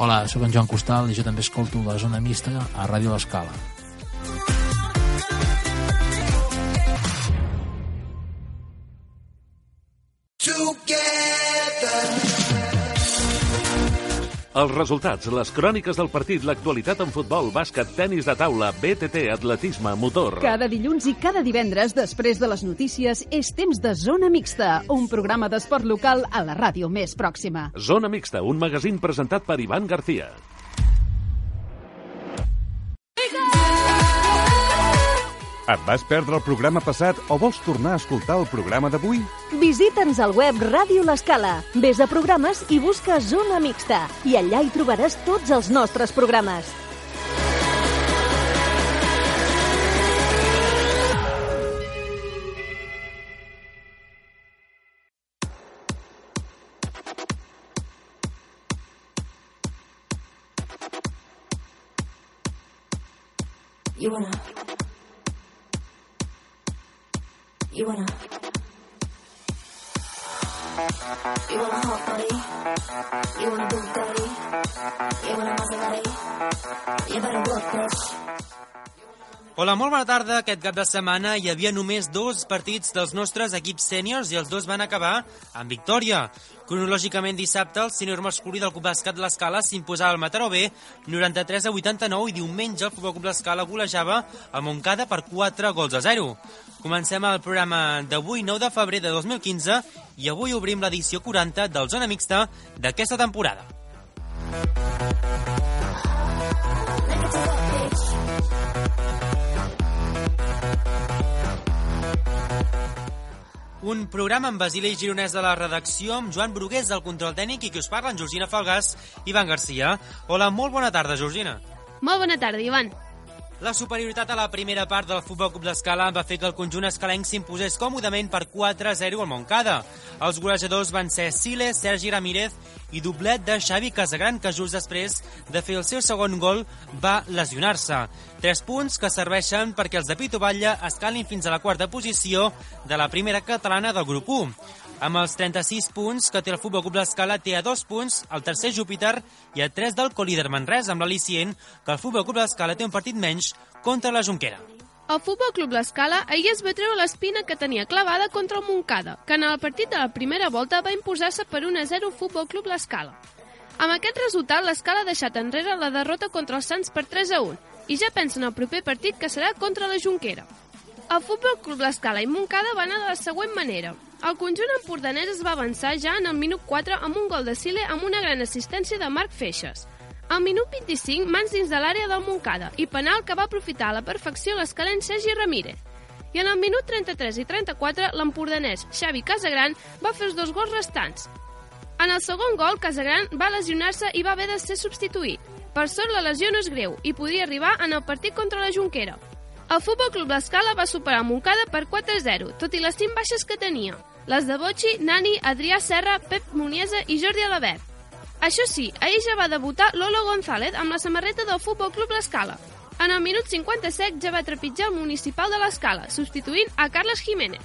Hola, sóc en Joan Costal i jo també escolto la Zona Mixta a Ràdio L'Escala. Els resultats, les cròniques del partit, l'actualitat en futbol, bàsquet, tenis de taula, BTT, atletisme, motor. Cada dilluns i cada divendres, després de les notícies, és temps de Zona Mixta, un programa d'esport local a la ràdio més pròxima. Zona Mixta, un magazín presentat per Ivan García. Et vas perdre el programa passat o vols tornar a escoltar el programa d'avui? Visita'ns al web Ràdio L'Escala. Ves a programes i busca Zona Mixta. I allà hi trobaràs tots els nostres programes. You wanna hot body, you wanna Bugatti, you wanna Maserati, you better work, bitch. Hola, molt bona tarda. Aquest cap de setmana hi havia només 2 partits dels nostres equips sèniors i els 2 van acabar amb victòria. Cronològicament, dissabte, el sènior masculí del Club Bàsquet L'Escala s'imposava al Mataró B 93-89 i diumenge el Futbol Club L'Escala golejava el Montcada per 4-0. Comencem el programa d'avui, 9 de febrer de 2015, i avui obrim l'edició 40 del Zona Mixta d'aquesta temporada. Un programa amb Basili Gironès de la redacció, amb Joan Brugués del control tècnic i qui us parla, en Georgina Falgàs i Ivan García. Hola, molt bona tarda, Georgina. Molt bona tarda, Ivan. La superioritat a la primera part del Futbol Club L'Escala va fer que el conjunt escalenc s'imposés còmodament per 4-0 al Montcada. Els golejadors van ser Siles, Sergi Ramírez i doblet de Xavi Casagran, que just després de fer el seu segon gol va lesionar-se. 3 punts que serveixen perquè els de Pito Batlle escalin fins a la 4a posició de la primera catalana del grup 1. Amb els 36 punts que té el Futbol Club L'Escala, té a 2 punts el tercer Júpiter i a 3 del colíder Manresa, amb l'al·licient que el Futbol Club L'Escala té un partit menys contra la Jonquera. El Futbol Club L'Escala ahir es va treure l'espina que tenia clavada contra el Montcada, que en el partit de la primera volta va imposar-se per 1-0 al Futbol Club L'Escala. Amb aquest resultat, l'Escala ha deixat enrere la derrota contra els Sants per 3-1 i ja pensa en el proper partit, que serà contra la Jonquera. El Futbol Club L'Escala i Montcada van anar de la següent manera. El conjunt empordanès es va avançar ja en el minut 4 amb un gol de Sile amb una gran assistència de Marc Feixes. Al minut 25, mans dins de l'àrea del Montcada i penal que va aprofitar a la perfecció l'escalenc Sergi Ramírez. I en el minut 33 i 34, l'empordanès Xavi Casagran va fer els 2 gols restants. En el segon gol, Casagran va lesionar-se i va haver de ser substituït. Per sort, la lesió no és greu i podia arribar en el partit contra la Jonquera. El Futbol Club L'Escala va superar el Montcada per 4-0, tot i les 5 baixes que tenia. Les de Bocci, Nani, Adrià Serra, Pep Muniesa i Jordi Alabert. Això sí, ahir ja va debutar Lolo González amb la samarreta del Futbol Club L'Escala. En el minut 57 ja va trepitjar el municipal de l'Escala, substituint a Carles Jiménez.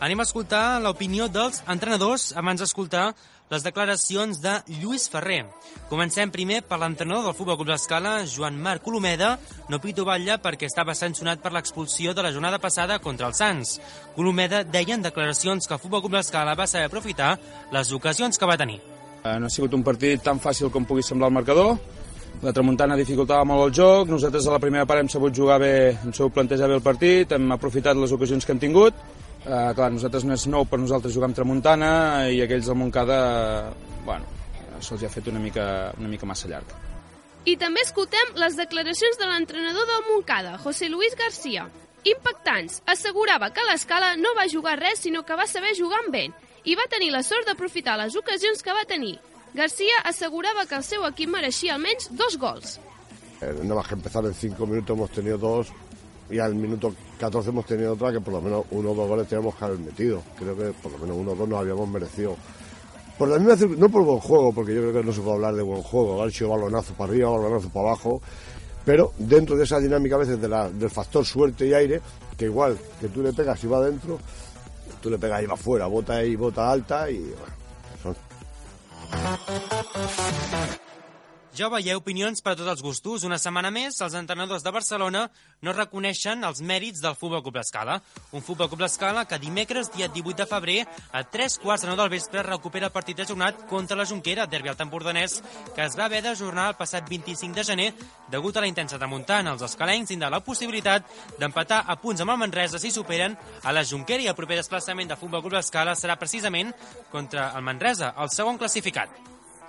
Anem a escoltar l'opinió dels entrenadors abans d'escoltar les declaracions de Lluís Ferrer. Comencem primer per l'entrenador del Futbol Club L'Escala, Joan Marc Colomeda, no Pito Batlle perquè estava sancionat per l'expulsió de la jornada passada contra els Sants. Colomeda deia en declaracions que el Futbol Club L'Escala va saber aprofitar les ocasions que va tenir. No ha sigut un partit tan fàcil com pugui semblar el marcador. La Tramuntana dificultava molt el joc, nosaltres a la primera part hem sabut jugar bé, hem sabut plantejar bé el partit, hem aprofitat les ocasions que hem tingut. Clar, nosaltres no és nou per nosaltres jugar amb Tramuntana i aquells del Montcada, se'ls ha fet una mica massa llarg. I també escoltem les declaracions de l'entrenador del Montcada, José Luis García. Impactants, assegurava que l'Escala no va jugar res, sinó que va saber jugar amb vent i va tenir la sort d'aprofitar les ocasions que va tenir. García asegurava que el seu equip mereixia almenys 2 gols. Nada más que empezar en 5 minutos hemos tenido 2 y al minuto 14 hemos tenido otra que por lo menos 1 o 2 goles teníamos que haber metido. Creo que por lo menos 1 o 2 nos habíamos merecido. Por la misma, no por buen juego, porque yo creo que no se puede hablar de buen juego, haber sido balonazo para arriba, balonazo para abajo, pero dentro de esa dinámica a veces del factor suerte y aire, que igual que tú le pegas y va adentro, tú le pegas y va afuera, bota ahí, bota alta y bueno, son... Ja veieu, opinions per a tots els gustos. Una setmana més, els entrenadors de Barcelona no reconeixen els mèrits del Futbol Club L'Escala. Un Futbol Club L'Escala que dimecres, dia 18 de febrer, a 3:15 del vespre, recupera el partit ajornat contra la Jonquera, derbi al Empordanès, que es va haver d'ajornar el passat 25 de gener degut a la intensa tramuntana. Els escalencs tindran la possibilitat d'empatar a punts amb el Manresa si superen a la Jonquera, i el proper desplaçament del Futbol Club L'Escala serà precisament contra el Manresa, el segon classificat.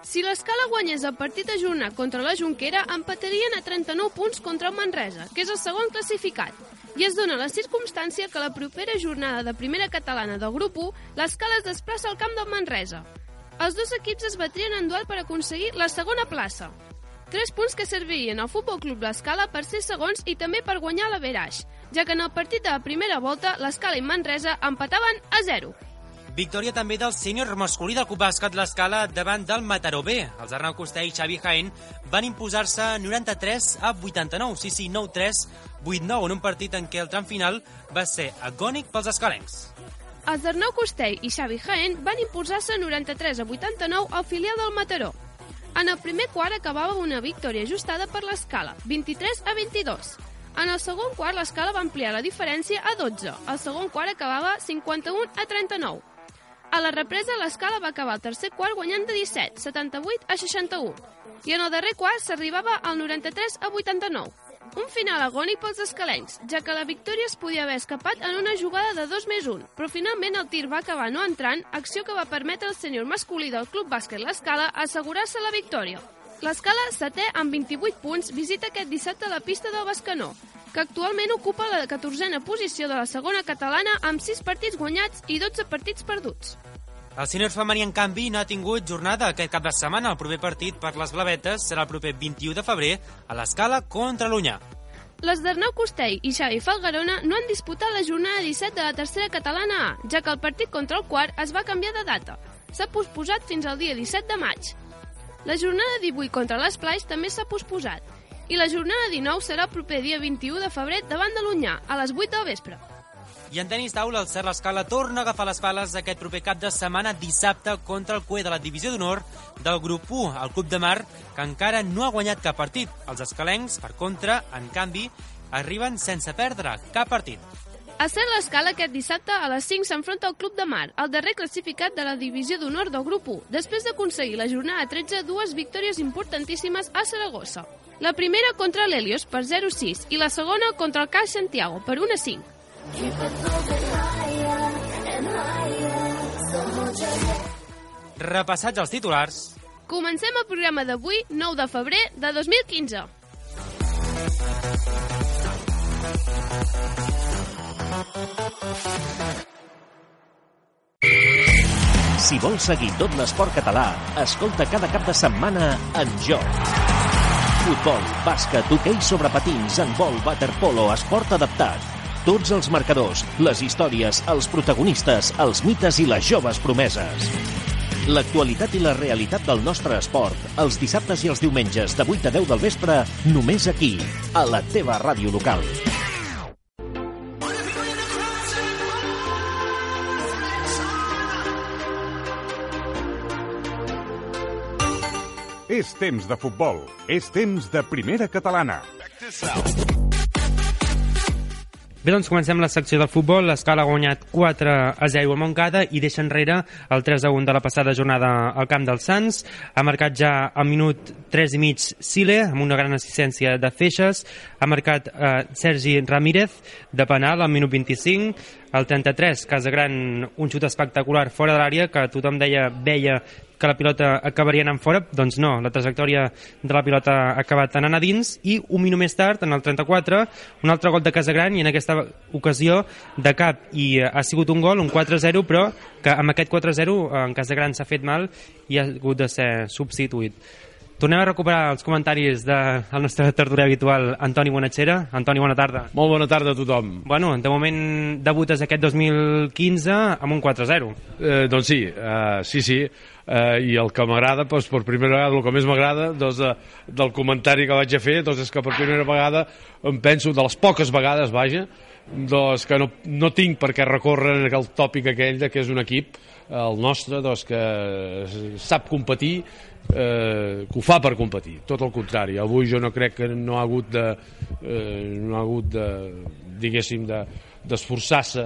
Si l'Escala guanyés el partit ajornat contra la Jonquera, empatarien a 39 punts contra el Manresa, que és el segon classificat. I es dona la circumstància que la propera jornada de primera catalana del grup 1, l'Escala es desplaça al camp del Manresa. Els dos equips es batrien en duel per aconseguir la segona plaça. 3 punts que servirien al Futbol Club L'Escala per ser segons i també per guanyar l'Averaix, ja que en el partit de la primera volta l'Escala i Manresa empataven a 0. Victòria també del sènior masculí del Club Bàsquet L'Escala davant del Mataró B. Els Arnau Costell i Xavi Jaén van imposar-se 93-89, sí, 9-3, 8-9, en un partit en què el tram final va ser agònic pels escalencs. Els Arnau Costell i Xavi Jaén van imposar-se 93-89 al filial del Mataró. En el primer quart acabava una victòria ajustada per l'Escala, 23-22. En el segon quart l'Escala va ampliar la diferència a 12. El segon quart acabava 51-39. A la represa, l'Escala va acabar el tercer quart guanyant de 17, 78-61. I en el darrer quart s'arribava al 93-89. Un final agònic pels escalencs, ja que la victòria es podia haver escapat en una jugada de 2+1, però finalment el tir va acabar no entrant, acció que va permetre al sènior masculí del Club Bàsquet L'Escala assegurar-se la victòria. L'Escala, setè amb 28 punts, visita aquest dissabte la pista del Bescanó, que actualment ocupa la 14a posició de la segona catalana amb 6 partits guanyats i 12 partits perduts. El sènior femení, en canvi, no ha tingut jornada aquest cap de setmana. El proper partit per les blavetes serà el proper 21 de febrer a l'Escala contra l'Onyà. Les d'Arnau Costell i Xavi Falgarona no han disputat la jornada 17 de la tercera catalana A, ja que el partit contra el quart es va canviar de data. S'ha posposat fins al dia 17 de maig. La jornada 18 contra l'Esplais també s'ha posposat. I la jornada 19 serà el proper dia 21 de febrer davant de l'Onyà, a les 8 del vespre. I en tenis taula, el Cert L'Escala torna a agafar les pales aquest proper cap de setmana dissabte contra el CUE de la divisió d'honor del grup 1, el Club de Mar, que encara no ha guanyat cap partit. Els escalencs, per contra, en canvi, arriben sense perdre cap partit. A Cert L'Escala aquest dissabte a les 5 s'enfronta al Club de Mar, el darrer classificat de la divisió d'honor del grup 1, després d'aconseguir la jornada 13 dues victòries importantíssimes a Saragossa. La primera contra l'Helios per 0-6 i la segona contra el CAI Santiago per 1-5. Repassats els titulars. Comencem el programa d'avui, 9 de febrer de 2015. Si vols seguir tot l'esport català, escolta cada cap de setmana En Joc. Futbol, bàsquet, hoquei sobre patins, handbol, waterpolo, esport adaptat. Tots els marcadors, les històries, els protagonistes, els mites i les joves promeses. L'actualitat i la realitat del nostre esport, els dissabtes i els diumenges de 8 a 10 del vespre, només aquí, a la teva ràdio local. És temps de futbol. És temps de primera catalana. Bé, doncs comencem la secció del futbol. L'Escala ha guanyat 4-0 al Montcada i deixa enrere el 3-1 de la passada jornada al camp dels Sants. Ha marcat ja al minut 3 i mig Sile, amb una gran assistència de Feixes. Ha marcat Sergi Ramírez de penal al minut 25. Al 33, Casagran, un xut espectacular fora de l'àrea, que tothom veia que la pilota acabaria anant fora. Doncs no, la trajectòria de la pilota ha acabat anant a dins, i un minut més tard, en el 34, un altre gol de Casagran, i en aquesta ocasió de cap, i ha sigut un gol, un 4-0, però que amb aquest 4-0 en Casagran s'ha fet mal i ha hagut de ser substituït. Tornem a recuperar els comentaris del nostre tertulià habitual, Antoni Bonatxera. Antoni, bona tarda. Molt bona tarda a tothom. Bueno, de moment debutes aquest 2015 amb un 4-0. Doncs sí. I el que m'agrada, doncs, per primera vegada, el que més m'agrada del comentari que vaig a fer, doncs, és que per primera vegada em penso, de les poques vegades, vaja, doncs, que no tinc per què recórrer en el tòpic aquell que és un equip el nostre, doncs, que sap competir, que ho fa per competir, tot el contrari. Avui jo no crec que no ha hagut de diguéssim, d'esforçar-se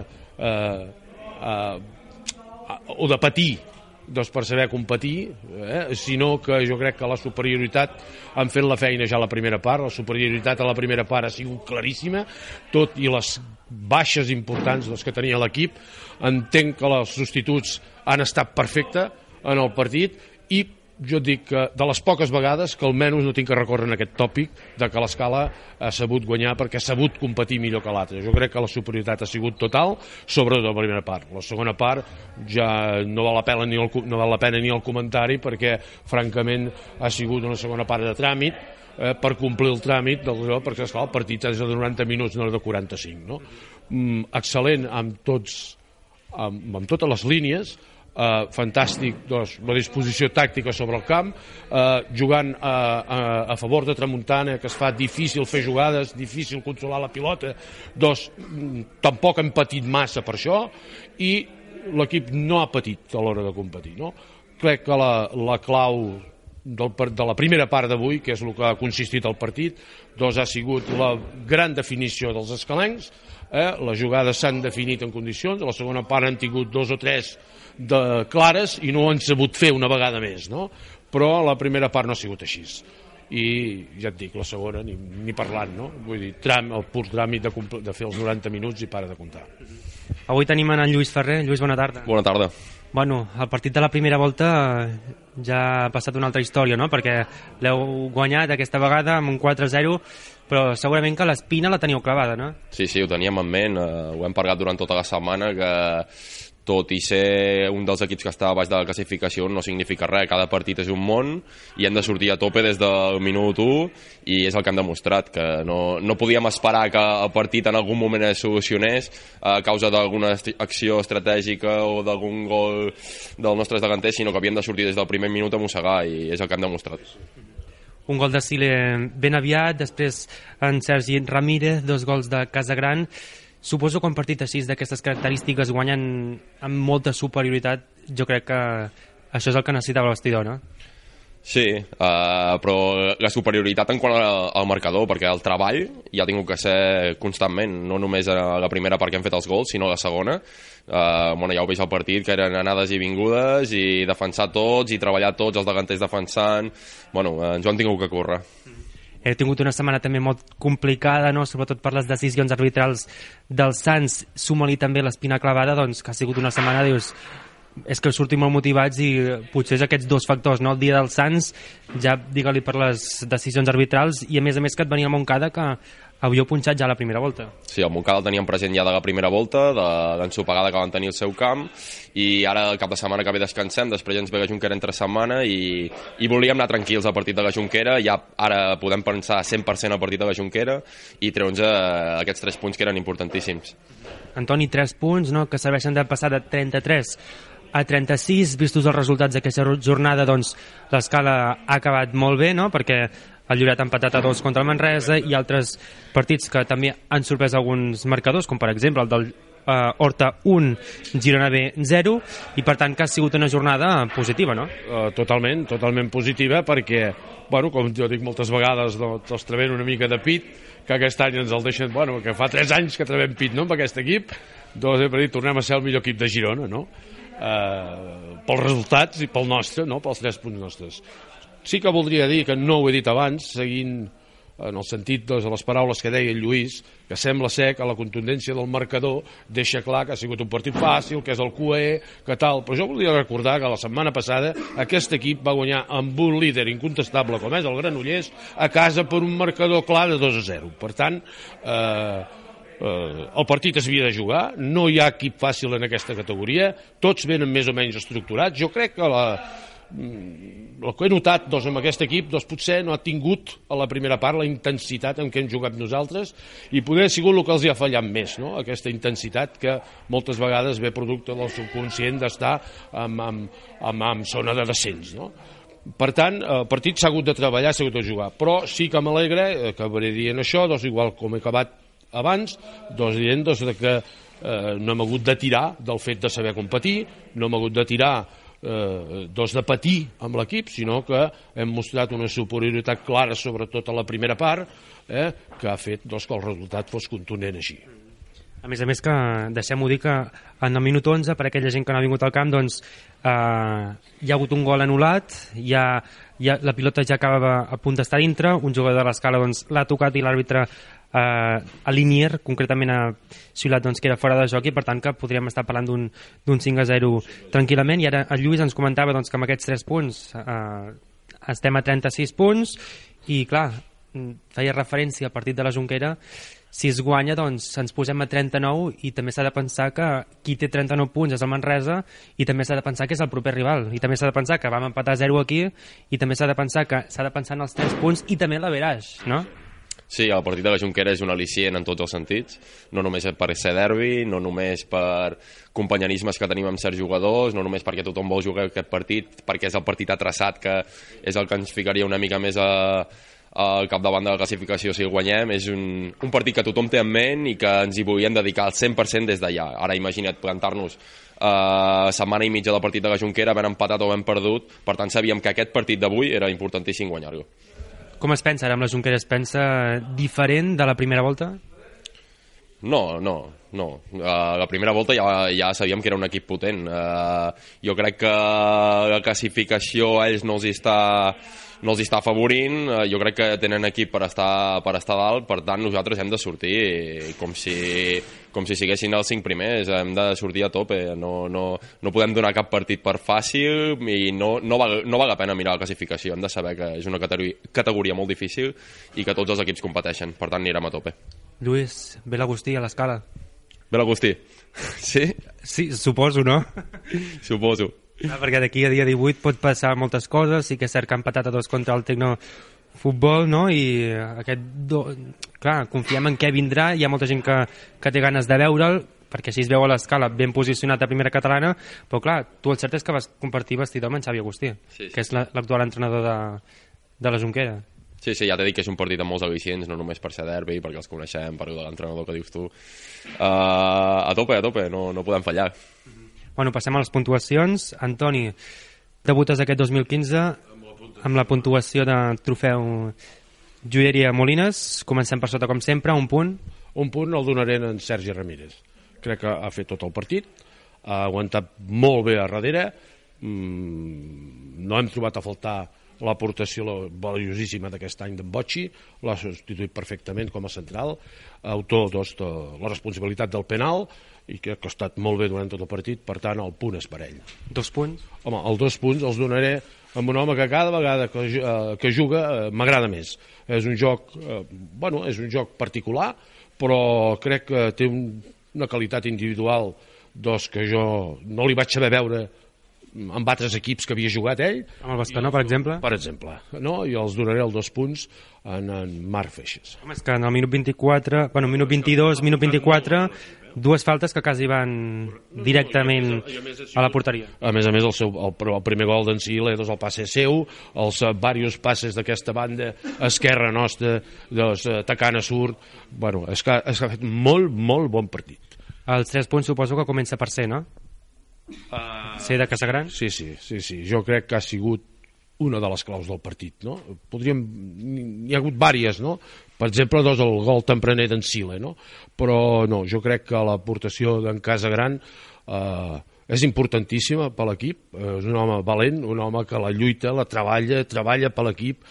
o de patir doncs, per saber competir, sinó que jo crec que la superioritat han fet la feina ja a la primera part. La superioritat a la primera part ha sigut claríssima, tot i les baixes importants doncs, que tenia l'equip. Entenc que els substituts han estat perfectes en el partit i jo dic que de les poques vegades que almenys no tinc que recórrer en aquest tòpic de que l'Escala ha sabut guanyar perquè ha sabut competir millor que l'altre. Jo crec que la superioritat ha sigut total, sobretot la primera part. La segona part ja no val la pena ni el comentari perquè francament ha sigut una segona part de tràmit per complir el tràmit perquè esclar, el partit és de 90 minuts, no de 45, no? Excel·lent amb totes les línies, fantàstic doncs, la disposició tàctica sobre el camp, jugant a favor de Tramuntana, que es fa difícil fer jugades, difícil controlar la pilota, doncs tampoc hem patit massa per això i l'equip no ha patit a l'hora de competir, no? Crec que la clau de la primera part d'avui, que és el que ha consistit el partit, doncs ha sigut la gran definició dels escalencs, les jugades s'han definit en condicions, a la segona part han tingut 2 o 3 clares i no ho han sabut fer una vegada més, no? Però la primera part no ha sigut així i ja et dic, la segona ni parlant, no? Vull dir, el pur tràmit de fer els 90 minuts i para de comptar. Avui tenim en Lluís Ferrer. Lluís, bona tarda. Bona tarda. Bueno, el partit de la primera volta ja ha passat una altra història, no? Perquè l'heu guanyat aquesta vegada amb un 4-0, però segurament que l'espina la teníeu clavada, no? Sí, ho teníem en ment, ho hem parlat durant tota la setmana, que tot i ser un dels equips que està a baix de la classificació no significa res, cada partit és un món i hem de sortir a tope des del minut 1 i és el que hem demostrat, que no podíem esperar que el partit en algun moment es solucionés a causa d'alguna acció estratègica o d'algun gol dels nostres davanters, sinó que havíem de sortir des del primer minut a mossegar i és el que hem demostrat. Un gol de Sile ben aviat, després en Sergi Ramírez, 2 gols de Casagran. Suposo que un partit així d'aquestes característiques guanyen amb molta superioritat. Jo crec que això és el que necessitava el vestidor, no? Sí, però la superioritat en quant al marcador, perquè el treball ja ha tingut que ser constantment, no només a la primera part que hem fet els gols, sinó a la segona. Ja ho veig al partit, que eren anades i vingudes i defensar tots i treballar tots, els davanters defensant. Ens ho han tingut que córrer. Heu tingut una setmana també molt complicada, no? Sobretot per les decisions arbitrals dels Sants. Suma-li també l'espina clavada, doncs, que ha sigut una setmana, dius, és que sortim molt motivats i potser és aquests 2 factors, no? El dia dels Sants, ja digue-li per les decisions arbitrals i a més que et venia el Montcada, que havíeu punxat ja a la primera volta. Sí, el Montcada el teníem present ja de la primera volta, de l'ensopegada que van tenir al seu camp, i ara el cap de setmana que ve descansem, després ens ve la Jonquera entre setmana i volíem anar tranquils al partit de la Jonquera, ja ara podem pensar 100% al partit de la Jonquera i treure'ns aquests 3 punts que eren importantíssims. Antoni, 3 punts, no?, que serveixen de passar de 33 a 36, vistos els resultats d'aquesta jornada, doncs l'Escala ha acabat molt bé, no?, perquè el Lloret ha empatat a 2 contra el Manresa i altres partits que també han sorprès alguns marcadors, com per exemple el del Horta 1, Girona B 0, i per tant que ha sigut una jornada positiva, no? Totalment positiva, perquè, com jo dic moltes vegades, els trevem una mica de pit, que aquest any ens el deixen, que fa 3 anys que trevem pit, no?, amb aquest equip, doncs per dir, tornem a ser el millor equip de Girona, no?, pels resultats i pel nostre, no?, pels 3 punts nostres. Sí que voldria dir, que no ho he dit abans, seguint en el sentit de les paraules que deia el Lluís, que sembla ser que la contundència del marcador deixa clar que ha sigut un partit fàcil, que és el QE, que tal, però jo volia recordar que la setmana passada aquest equip va guanyar amb un líder incontestable com és el Granollers a casa per un marcador clar de 2-0. Per tant, el partit es havia de jugar, no hi ha equip fàcil en aquesta categoria, tots venen més o menys estructurats. Jo crec que el que he notat amb aquest equip potser no ha tingut a la primera part la intensitat en què hem jugat nosaltres i poder ha sigut el que els hi ha fallat més, no? Aquesta intensitat que moltes vegades ve producte del subconscient d'estar en zona de descens, no? Per tant, el partit s'ha hagut de treballar, s'ha hagut de jugar, però sí que m'alegra, acabaré dient això, igual com he acabat abans, dient que no hem hagut de tirar del fet de saber competir, no hem hagut de tirar de patir amb l'equip, sinó que hem mostrat una superioritat clara, sobretot a la primera part, que ha fet que el resultat fos contundent així. A més que, deixem-ho dir, que en el minut 11, per aquella gent que no ha vingut al camp, doncs hi ha hagut un gol anul·lat, la pilota ja acaba a punt d'estar dintre, un jugador de l'Escala doncs, l'ha tocat i l'àrbitre a Linier, concretament ha xiulat doncs, que era fora de joc, i per tant que podríem estar parlant d'un 5-0 tranquil·lament. I ara el Lluís ens comentava doncs, que amb aquests 3 punts estem a 36 punts i clar, feia referència al partit de la Jonquera. Si es guanya, doncs ens posem a 39 i també s'ha de pensar que qui té 39 punts és el Manresa i també s'ha de pensar que és el proper rival i també s'ha de pensar que vam empatar 0 aquí i també s'ha de pensar que s'ha de pensar en els 3 punts i també l'averaix, no? Sí, el partit de la Jonquera és un al·licient en tots els sentits, no només per ser derbi, no només per companyerismes que tenim amb certs jugadors, no només perquè tothom vol jugar aquest partit, perquè és el partit atraçat que és el que ens ficaria una mica més al capdavant de la classificació si el guanyem. És un partit que tothom té en ment i que ens hi volíem dedicar al 100% des d'allà. Ara imagina't plantar-nos setmana i mitja del partit de la Jonquera, havent empatat o havent perdut, per tant sabíem que aquest partit d'avui era importantíssim guanyar-lo. Com es pensa ara amb la Jonquera? Es pensa diferent de la primera volta? No. La primera volta ja sabíem que era un equip potent. Jo crec que la classificació a ells no els està afavorint. Jo crec que tenen equip per estar dalt, per tant nosaltres hem de sortir com si siguessin els 5 primers, hem de sortir a tope, no podem donar cap partit per fàcil i no val la pena mirar la classificació, hem de saber que és una categoria molt difícil i que tots els equips competeixen, per tant anirem a tope. Lluís, ve l'Agustí a l'Escala. Ve l'Agustí? Sí? Sí, suposo, no? Suposo. Perquè d'aquí a dia 18 pot passar moltes coses, sí que és cert que ha empatat a 2 contra el Tecnofutbol, no? I clar, confiem en què vindrà, hi ha molta gent que té ganes de veure'l, perquè així es veu a l'Escala ben posicionat a primera catalana, però clar, tu el cert és que vas compartir vestidor amb en Xavi Agustí, sí. Que és l'actual entrenador de la Jonquera. Sí, ja t'he dit que és un partit amb molts al·licients, no només per ser derbi, perquè els coneixem, per l'entrenador que dius tu. A tope, no podem fallar. Bueno, passem a les puntuacions. Antoni, debutes aquest 2015 amb la puntuació de trofeu Joieria Molines. Comencem per sota, com sempre, un punt. Un punt el donaré en Sergi Ramírez. Crec que ha fet tot el partit, ha aguantat molt bé a darrere, no hem trobat a faltar l'aportació valiosíssima d'aquest any d'en Bocci, l'ha substituït perfectament com a central, autor de la responsabilitat del penal, i crec que ha estat molt bé durant tot el partit, per tant el punt és per ell. 2 punts? Home, els 2 punts els donaré amb un home que cada vegada que juga m'agrada més. És un joc és un joc particular, però crec que té una qualitat individual que jo no li vaig saber veure amb altres equips que havia jugat ell. Amb el Bescanó, per exemple? Per exemple, no? I els donaré els 2 punts en Marc Feixes. Home, és que en el minut 24, minut 22, minut 24, 2 faltes que quasi van directament a la porteria. A més, el primer gol d'en Siledos, el passe seu, els diversos passes d'aquesta banda esquerra nostra, atacant a surt, és que ha fet molt, molt bon partit. Els 3 punts suposo que comença per ser, no? Ser de Casagran? Sí, jo crec que ha sigut una de les claus del partit, no? N'hi ha hagut diverses, no? Per exemple, el gol tempraner d'en Sile, no? Però no, jo crec que l'aportació d'en Casagran és importantíssima per l'equip, és un home valent, un home que la lluita, la treballa per l'equip,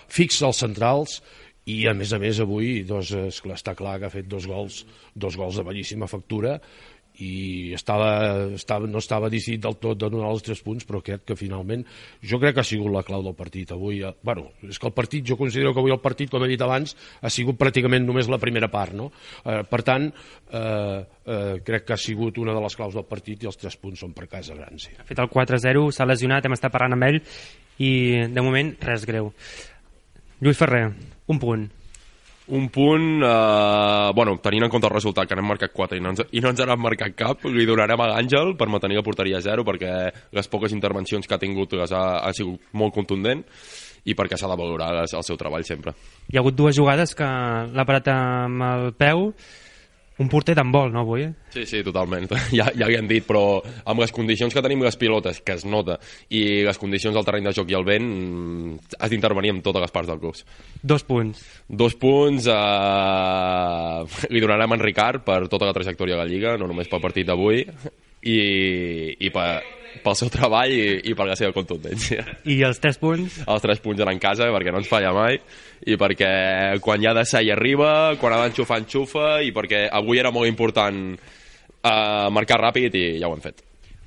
fixa els centrals i a més avui està clar que ha fet 2 gols de bellíssima factura i no estava decidit del tot de donar els 3 punts, però crec que finalment jo crec que ha sigut la clau del partit avui. És que el partit, jo considero que avui el partit, com he dit abans, ha sigut pràcticament només la primera part, no? Per tant, crec que ha sigut una de les claus del partit i els 3 punts són per Casagran, sí. Ha fet el 4-0, s'ha lesionat, hem estat parlant amb ell i de moment res greu. Lluís Ferrer, un punt. Un punt, tenint en compte el resultat, que n'hem marcat 4 i no ens n'han marcat cap, li donarem a l'Àngel per mantenir la porteria a 0, perquè les poques intervencions que ha tingut ha sigut molt contundent i perquè s'ha de valorar el seu treball sempre. Hi ha hagut 2 jugades que l'ha parat amb el peu, un porter d'handbol, no, avui? Sí, totalment. Ja li han dit, però amb les condicions que tenim les pilotes, que es nota, i les condicions del terreny de joc i el vent, has d'intervenir en totes les parts del club. 2 punts. 2 punts li donarem a en Ricard per tota la trajectòria de la Lliga, no només pel partit d'avui, i pel seu treball i per la seva contundència. I els 3 punts? Els 3 punts eren en casa, perquè no ens falla mai, i perquè quan hi ha de ser hi arriba, quan ha d'enxufar, enxufa, i perquè avui era molt important marcar ràpid i ja ho hem fet.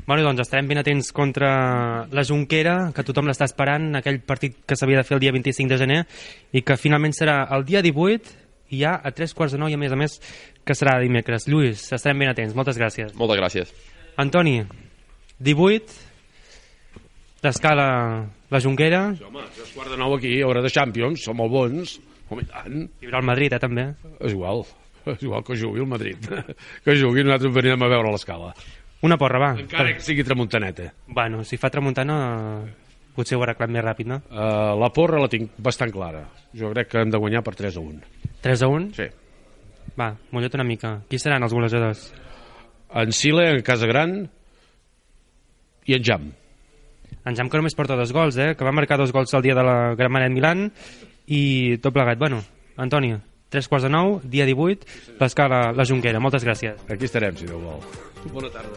Bueno, doncs estarem ben atents contra la Jonquera, que tothom l'està esperant, aquell partit que s'havia de fer el dia 25 de gener, i que finalment serà el dia 18, i ja a 3:45, i a més, que serà dimecres. Lluís, estarem ben atents. Moltes gràcies. Moltes gràcies. Antoni, 18, l'Escala, la Jonquera. Sí, home, és 8:45 aquí, hora de Champions, som molt bons. Home, i tant. Hi haurà el Madrid, també. És igual que jugui el Madrid. Que jugui, nosaltres venim a veure l'Escala. Una porra, va. Encara que sigui tramuntaneta. Bueno, si fa tramuntana, potser ho arreglat més ràpid, no? La porra la tinc bastant clara. Jo crec que hem de guanyar per 3-1. 3-1? Sí. Va, mullet una mica. Qui seran els golejadors? En Sile, en Casagran i en Jam. En Jam que només porta 2 gols, que va marcar 2 gols el dia de la Gran Manet Milan i tot plegat. Bueno, Antoni, 8:45, dia 18, l'Escala, la Jonquera. Moltes gràcies. Aquí estarem, si Déu vol. Bona tarda.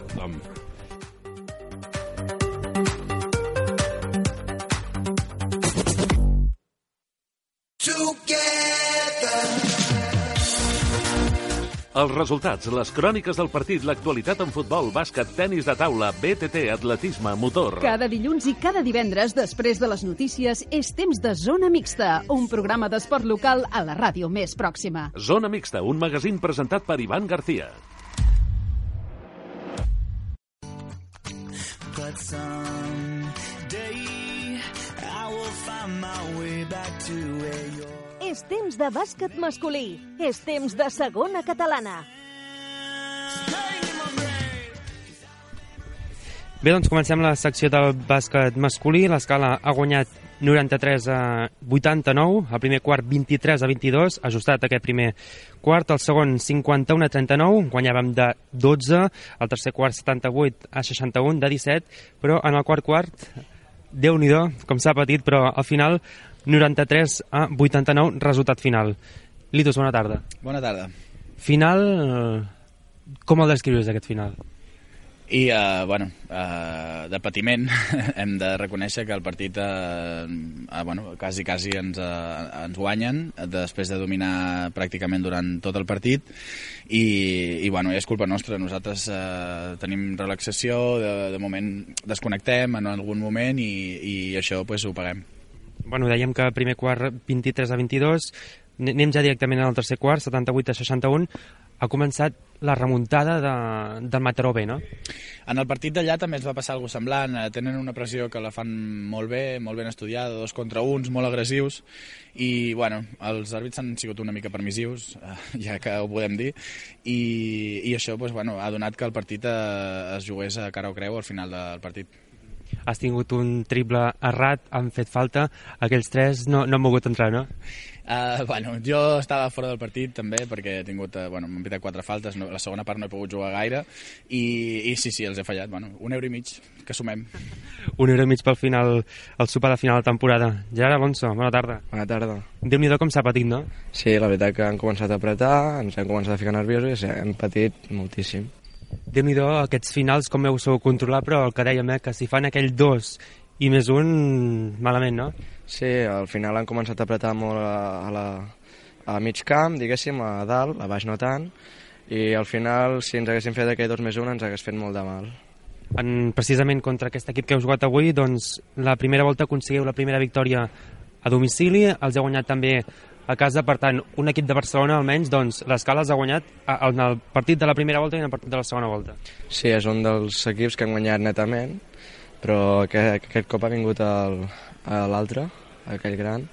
Els resultats, les cròniques del partit, l'actualitat en futbol, bàsquet, tenis de taula, BTT, atletisme, motor. Cada dilluns i cada divendres, després de les notícies, és temps de Zona Mixta, un programa d'esport local a la ràdio més pròxima. Zona Mixta, un magazín presentat per Ivan García. But someday I will find my way back to where you're. És temps de bàsquet masculí. És temps de segona catalana. Bé, doncs comencem la secció del bàsquet masculí. L'Escala ha guanyat 93-89, el primer quart 23-22, ajustat aquest primer quart, el segon 51-39, guanyàvem de 12, el tercer quart 78-61, de 17, però en el quart, Déu-n'hi-do, com s'ha patit, però al final 93-89, resultat final. Litos, bona tarda. Bona tarda. Final, com el descrius aquest final? I, de patiment, hem de reconèixer que el partit, quasi ens guanyen, després de dominar pràcticament durant tot el partit, i és culpa nostra. Nosaltres tenim relaxació, de moment desconnectem en algun moment, i això ho paguem. Bueno, dèiem que primer quart 23-22, anem ja directament al tercer quart, 78-61, ha començat la remuntada del Mataró B, no? En el partit d'allà també ens va passar alguna cosa semblant. Tenen una pressió que la fan molt ben estudiada, 2 contra 1, molt agressius, i els àrbits han sigut una mica permissius, ja que ho podem dir, i això ha donat que el partit es jugués a cara o creu al final del partit. Has tingut un triple errat, han fet falta, aquells 3 no han mogut entrar, no? Jo estava fora del partit també perquè he tingut, m'han pitat 4 faltes, la segona part no he pogut jugar gaire i sí, els he fallat, €1,5 que sumem. €1,5 pel final, el sopar de final de temporada. Gerard Alonso, bona tarda. Bona tarda. Déu-n'hi-do com s'ha patit, no? Sí, la veritat que han començat a apretar, ens hem començat a ficar nerviosos i hem patit moltíssim. Déu-n'hi-do aquests finals com heu sabut controlar, però el que dèiem, que si fan aquell 2 i més 1, malament, no? Sí, al final han començat a apretar molt a mig camp, diguéssim, a dalt, a baix no tant, i al final, si ens haguéssim fet aquell 2 més 1, ens hagués fet molt de mal. Precisament contra aquest equip que heu jugat avui, doncs la primera volta aconseguiu la primera victòria a domicili, els heu guanyat també a casa, per tant, un equip de Barcelona almenys, doncs l'Escala els ha guanyat en el partit de la primera volta i en el partit de la segona volta. Sí, és un dels equips que han guanyat netament, però aquest cop ha vingut l'altre, aquell gran.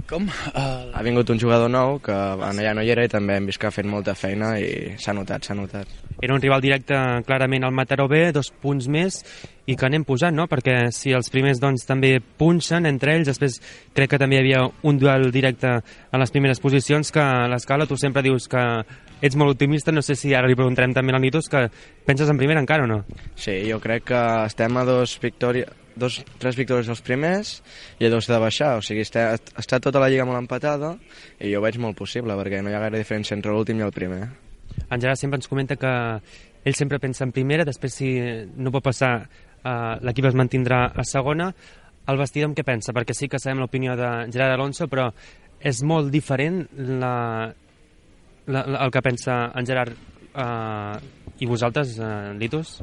Com? Ha vingut un jugador nou que allà no hi era i també hem vist que ha fet molta feina i s'ha notat. Era un rival directe clarament al Mataró B, 2 punts més, i que anem pujant, no? Perquè si els primers doncs, també punxen entre ells, després crec que també hi havia un duel directe a les primeres posicions, que a l'Escala tu sempre dius que ets molt optimista, no sé si ara li preguntarem també a l'Anitos, que penses en primera encara o no? Sí, jo crec que estem a 3 victòries dels primers i a 2 de baixar, o sigui, està tota la lliga molt empatada i jo ho veig molt possible perquè no hi ha gaire diferència entre l'últim i el primer. En Gerard sempre ens comenta que ell sempre pensa en primera, després si no pot passar l'equip es mantindrà a segona. El vestidor amb què pensa? Perquè sí que sabem l'opinió de Gerard Alonso, però és molt diferent el que pensa en Gerard i vosaltres, Litos?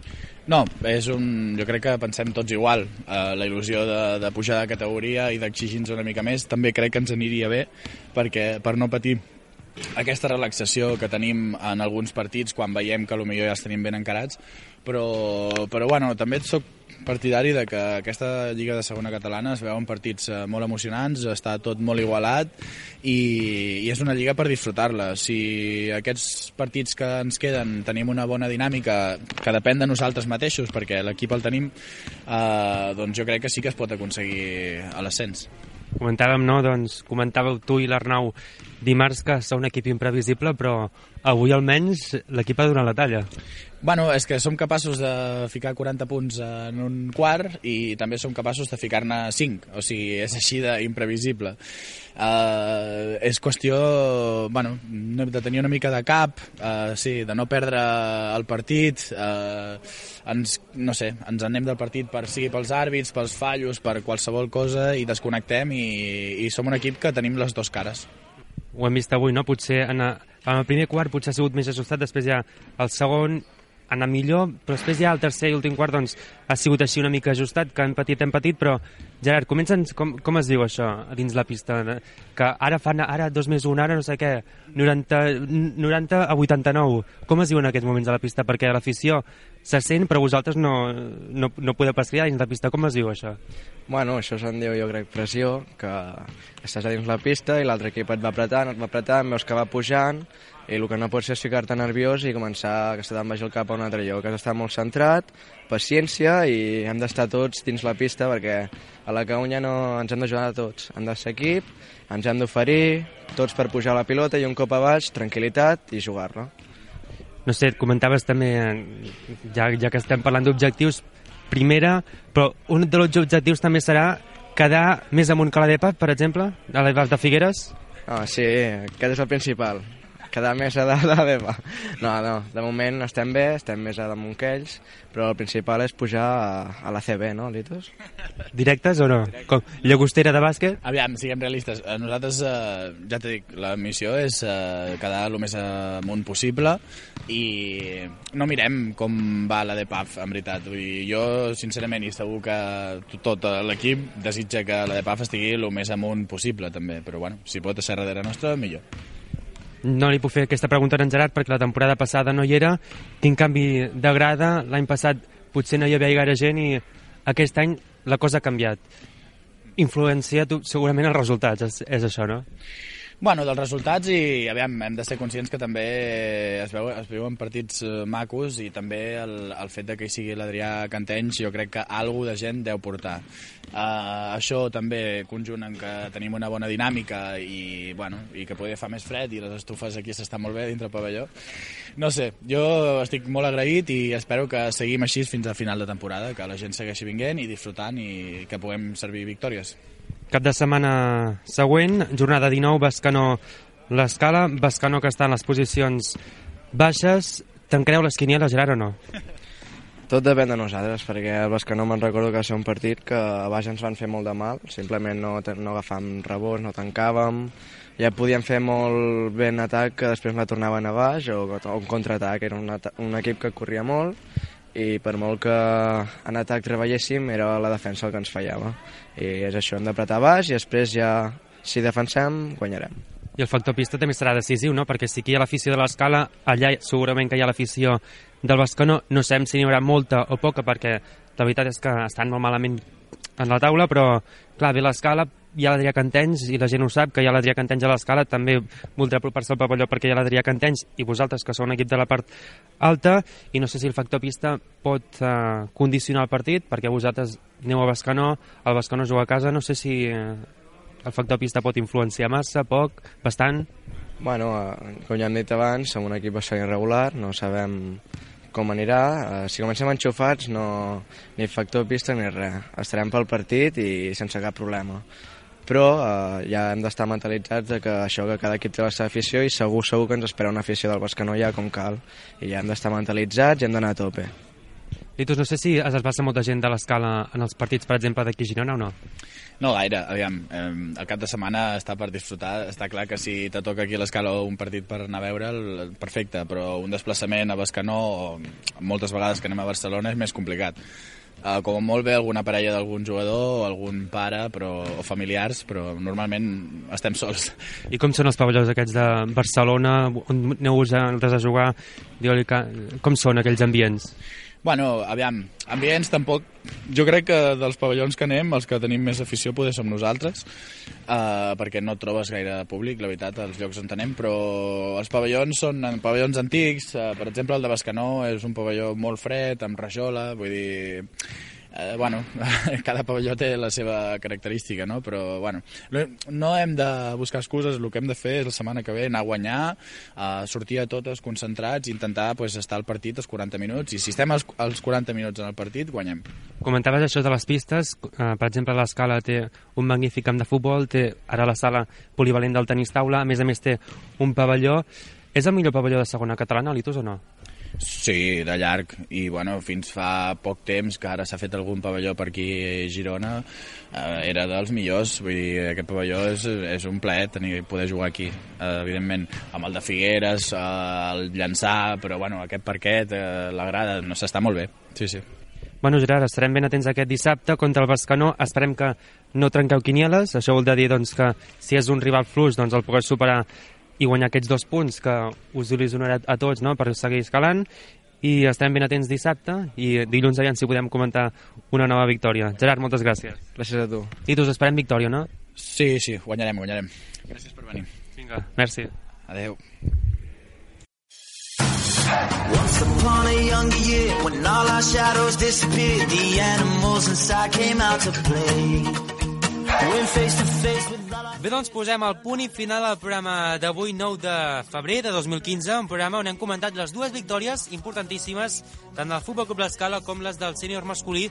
No, jo crec que pensem tots igual. La il·lusió de pujar de categoria i d'exigir-nos una mica més també crec que ens aniria bé per no patir aquesta relaxació que tenim en alguns partits quan veiem que potser ja els tenim ben encarats, però bueno, també soc partidari de que aquesta Lliga de Segona Catalana es veuen partits molt emocionants, està tot molt igualat i és una lliga per disfrutar-la. Si aquests partits que ens queden tenim una bona dinàmica que depèn de nosaltres mateixos, perquè l'equip el tenim, doncs jo crec que sí que es pot aconseguir a l'ascens. Comentàvem, no? Doncs comentàveu tu i l'Arnau dimarts que sou un equip imprevisible, però avui almenys l'equip ha donat la talla. Bueno, és que som capaços de ficar 40 punts en un quart i també som capaços de ficar-ne 5, o sigui, és així d'imprevisible. És qüestió, bueno, de tenir una mica de cap, sí, de no perdre el partit, no sé, ens anem del partit sigui pels àrbits, pels fallos, per qualsevol cosa i desconnectem i som un equip que tenim les dues cares. Ho hem vist avui, no? Potser en el primer quart potser ha sigut més ajustat, després ja el segon anar millor, però després ja el tercer i últim quart doncs, ha sigut així una mica ajustat, que hem patit, però Gerard, comença'ns com es diu això dins la pista, que ara 2 més 1, ara no sé què, 90 a 89, com es diu en aquests moments a la pista? Perquè l'afició se sent, però vosaltres no podeu pas cridar dins la pista, com es diu això? Bueno, això se'n diu, jo crec, pressió, que estàs a dins la pista i l'altre equip et va apretant, veus que va pujant, i el que no pots és ficar-te nerviós i començar que s'ha baix el cap a un altre lloc. Has d'estar molt centrat, paciència i hem d'estar tots dins la pista perquè a la Caunya no ens hem d'ajudar a tots. Hem de ser equip, ens hem d'oferir tots per pujar la pilota i un cop a baix, tranquil·litat i jugar-la. No sé, et comentaves també, ja que estem parlant d'objectius, primera, però un dels objectius també serà quedar més amunt que la DEPAF, per exemple, a l'EPAF de Figueres? Sí, aquest és el principal. Quedar més a dalt de la DEPA. No, de moment estem bé, estem més a damunt que ells, però el principal és pujar a la CB, no, Litos? Directes o no? Com llagostera de bàsquet? Aviam, siguem realistes. Nosaltres, ja t'he dit, la missió és quedar el més amunt possible i no mirem com va la DEPAF, en veritat. Jo, sincerament, i segur que tot l'equip desitja que la DEPAF estigui el més amunt possible, també. Però, bueno, si pot ser darrere nostra, millor. No li puc fer aquesta pregunta a en Gerard perquè la temporada passada no hi era. Quin canvi de grada? L'any passat potser no hi havia gaire gent i aquest any la cosa ha canviat. Influencia segurament els resultats, és això, no? Bueno, dels resultats i aviam, hem de ser conscients que també es veuen partits macos i també el fet de que hi sigui l'Adrià Cantenys jo crec que alguna de gent deu portar. Això també conjunt en que tenim una bona dinàmica i que poder fa més fred i les estufes aquí s'estan molt bé dintre el pavelló. No sé, jo estic molt agraït i espero que seguim així fins a final de temporada, que la gent segueixi vinguent i disfrutant i que puguem servir victòries. Cap de setmana següent, jornada 19, Bescanó l'Escala, Bescanó que està en les posicions baixes. Tancareu les quinieles, Gerard, o no? Tot depèn de nosaltres, perquè el Bescanó me'n recordo que va ser un partit que a baix ens van fer molt de mal, simplement no agafàvem rebots, no tancàvem, ja podíem fer molt bé en atac que després la tornaven a baix o un contraatac, era un equip que corria molt i per molt que en atac treballéssim era la defensa el que ens fallava i és això, hem d'apretar baix i després ja si defensem guanyarem. I el factor pista també serà decisiu, no? Perquè si aquí hi ha l'afició de l'Escala, allà segurament que hi ha l'afició del Bescanó, no sabem si n'hi haurà molta o poca perquè la veritat és que estan molt malament en la taula, però clar, ve l'Escala, hi ha l'Adrià Cantenys i la gent ho sap, que hi ha l'Adrià Cantenys a l'Escala, també voldrà apropar-se al pavelló perquè hi ha l'Adrià Cantenys i vosaltres, que sou un equip de la part alta, i no sé si el factor pista pot condicionar el partit, perquè vosaltres aneu a Bescanó, el Bescanó juga a casa, no sé si el factor pista pot influenciar massa, poc, bastant. Bueno, com ja hem dit abans, som un equip bastant irregular, no sabem com anirà. Si comencem enxufats, no, ni factor pista ni res. Estarem pel partit i sense cap problema. Però ja hem d'estar mentalitzats de que això, que cada equip té la seva afició i segur que ens espera una afició del Bescanó ja com cal. I ja hem d'estar mentalitzats i hem d'anar a tope. Litus, no sé si es desplaça molta gent de l'Escala en els partits, per exemple, d'aquí a Girona o no? No gaire, aviam, el cap de setmana està per disfrutar, està clar que si te toca aquí a l'Escala un partit per anar a veure'l, perfecte, però un desplaçament a Bescanó, moltes vegades que anem a Barcelona, és més complicat. Com molt bé alguna parella d'algun jugador o algun pare o familiars, però normalment estem sols. I com són els pavellons aquests de Barcelona, on aneu vosaltres a jugar? Com són aquells ambients? Bueno, aviam, ambients tampoc... Jo crec que dels pavellons que anem, els que tenim més afició poder som nosaltres, perquè no trobes gaire públic, la veritat, als llocs on anem, però els pavellons són pavellons antics, per exemple el de Bescanó és un pavelló molt fred, amb rajola, vull dir... Bueno, cada pavelló té la seva característica, no? Però, bueno, no hem de buscar excuses, el que hem de fer és la setmana que ve anar a guanyar, sortir a totes concentrats, intentar estar al partit els 40 minuts, i si estem als 40 minuts en el partit, guanyem. Comentaves això de les pistes, per exemple l'Escala té un magnífic camp de futbol, té ara la sala polivalent del tenis taula, a més té un pavelló. És el millor pavelló de segona catalana, Litus, o no? Sí, de llarg, i bueno, fins fa poc temps que ara s'ha fet algun pavelló per aquí a Girona, era dels millors, vull dir, aquest pavelló és un plaer poder jugar aquí, evidentment, amb el de Figueres, el Llançà, però bueno, aquest parquet, la grada, no s'està molt bé, sí, sí. Bueno, Gerard, estarem ben atents aquest dissabte contra el Bescanó, esperem que no trenqueu quinieles, això vol dir doncs, que si és un rival fluix doncs el pugueu superar i guanyar aquests 2 punts que us il·lusionarà a tots, no?, per seguir escalant, i estem ben atents dissabte i dilluns aviam si podem comentar una nova victòria. Gerard, moltes gràcies. Gràcies a tu. I us esperem victòria, no? Sí, guanyarem. Gràcies per venir. Vinga, merci. Adeu. Once upon a younger year, when all our shadows disappeared, the animals inside came out to play. Bé, doncs posem el punt i final al programa d'avui, 9 de febrer de 2015, un programa on hem comentat les 2 victòries importantíssimes tant del Futbol Club l'Escala com les del sènior masculí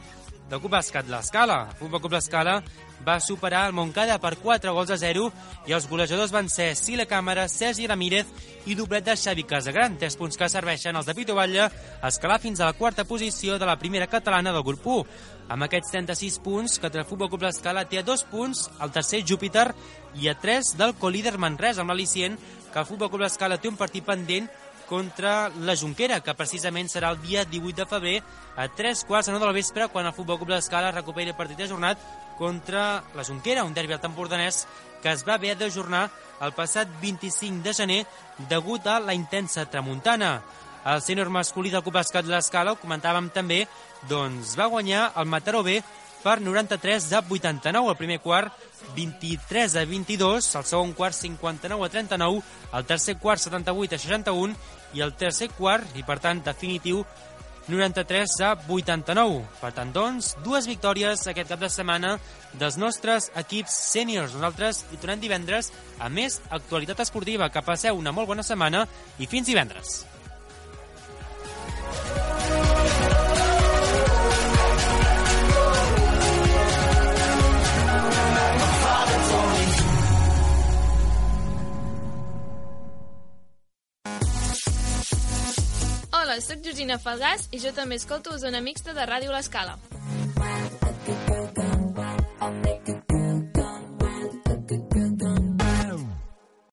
del Club Bàsquet l'Escala. El Futbol Club l'Escala va superar el Montcada per 4-0 i els golejadors van ser Sile Càmara, Sergi Ramírez i doblet de Xavi Casagran, 3 punts que serveixen els de Pito Batlle a escalar fins a la 4a posició de la primera catalana del grup 1. Amb aquests 36 punts, que el Futbol Club l'Escala té a 2 punts el tercer Júpiter i a 3 del colíder Manresa, amb l'al·licient que el Futbol Club l'Escala té un partit pendent contra la Jonquera, que precisament serà el dia 18 de febrer a 3:15 del vespre, quan el Futbol Club l'Escala recuperi el partit ajornat contra la Jonquera, un derbi tempordanès que es va haver d'ajornar el passat 25 de gener degut a la intensa tramuntana. El sènior masculí del Club Bàsquet l'Escala, ho comentàvem també, doncs va guanyar el Mataró B per 93-89, el primer quart 23-22, el segon quart 59-39, el tercer quart 78-61 i el tercer quart, i per tant definitiu, 93-89. Per tant, doncs, 2 victòries aquest cap de setmana dels nostres equips sèniors. Nosaltres hi tornem divendres a més actualitat esportiva. Que passeu una molt bona setmana i fins divendres. Hola, soc Georgina Falgàs i jo també escolto Zona Mixta de Ràdio l'Escala.